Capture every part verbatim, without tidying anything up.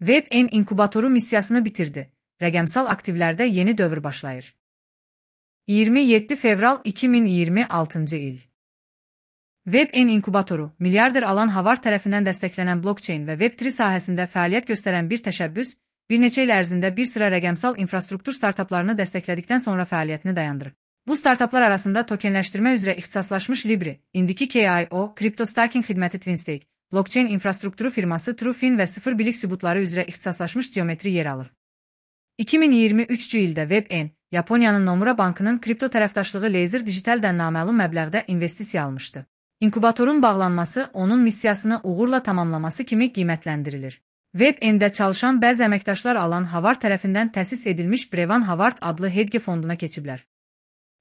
WebN inkubatoru missiyasını bitirdi. Rəqəmsal aktivlərdə yeni dövr başlayır. iyirmi yeddi fevral iki min iyirmi altıncı il. WebN inkubatoru, milyarder Alan Havard tərəfindən dəstəklənən blockchain və Web üç sahəsində fəaliyyət göstərən bir təşəbbüs, bir neçə il ərzində bir sıra rəqəmsal infrastruktur startaplarını dəstəklədikdən sonra fəaliyyətini dayandırıb. Bu startaplar arasında tokenləşdirmə üzrə ixtisaslaşmış Libri, indiki K I O, kriptostaking xidməti TwinStake, blockchain infrastrukturu firması TrueFin və sıfır bilik sübutları üzrə ixtisaslaşmış Geometri yer alır. iki min iyirmi üçüncü ildə WebN, Yaponiyanın Nomura Bankının kripto tərəfdaşlığı Laser Digitaldən naməlum məbləğdə investisiya almışdı. İnkubatorun bağlanması onun missiyasını uğurla tamamlaması kimi qiymətləndirilir. WebN-də çalışan bəzi əməkdaşlar Alan Havard tərəfindən təsis edilmiş Brevan Havard adlı hedge fonduna keçiblər.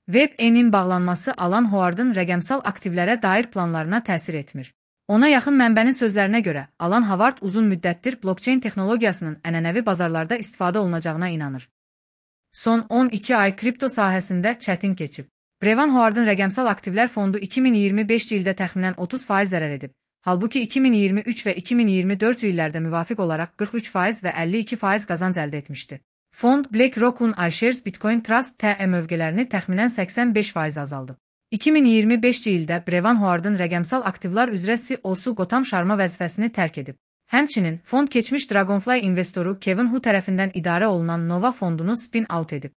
WebN-in bağlanması Alan Havardın rəqəmsal aktivlərə dair planlarına təsir etmir. Ona yaxın mənbənin sözlərinə görə, Alan Havard uzun müddətdir blockchain texnologiyasının ənənəvi bazarlarda istifadə olunacağına inanır. Son on iki ay kripto sahəsində çətin keçib. Brevan Havardın rəqəmsal aktivlər fondu iki min iyirmi beşinci ildə təxminən otuz faiz zərər edib. Halbuki iki min iyirmi üç və iki min iyirmi dördüncü illərdə müvafiq olaraq qırx üç faiz və əlli iki faiz qazanc əldə etmişdi. Fond BlackRock'un iShares Bitcoin Trust T E mövqələrini təxminən səksən beş faiz azaldıb. iki min iyirmi beşinci ildə Brevan Havardın rəqəmsal aktivlər üzrə C E O-su Gotam Sharma vəzifəsini tərk edib. Həmçinin, fond keçmiş Dragonfly investoru Kevin Hu tərəfindən idarə olunan Nova fondunu spin-out edib.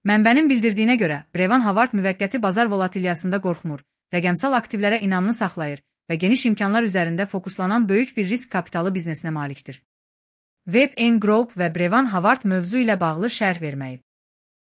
Mənbənin bildirdiyinə görə, Brevan Havard müvəqqəti bazar volatilyasında qorxmur, rəqəmsal aktivlərə inamını saxlayır və geniş imkanlar üzərində fokuslanan böyük bir risk kapitalı biznesinə malikdir. WebN Group və Brevan Havard mövzu ilə bağlı şərh verməyib.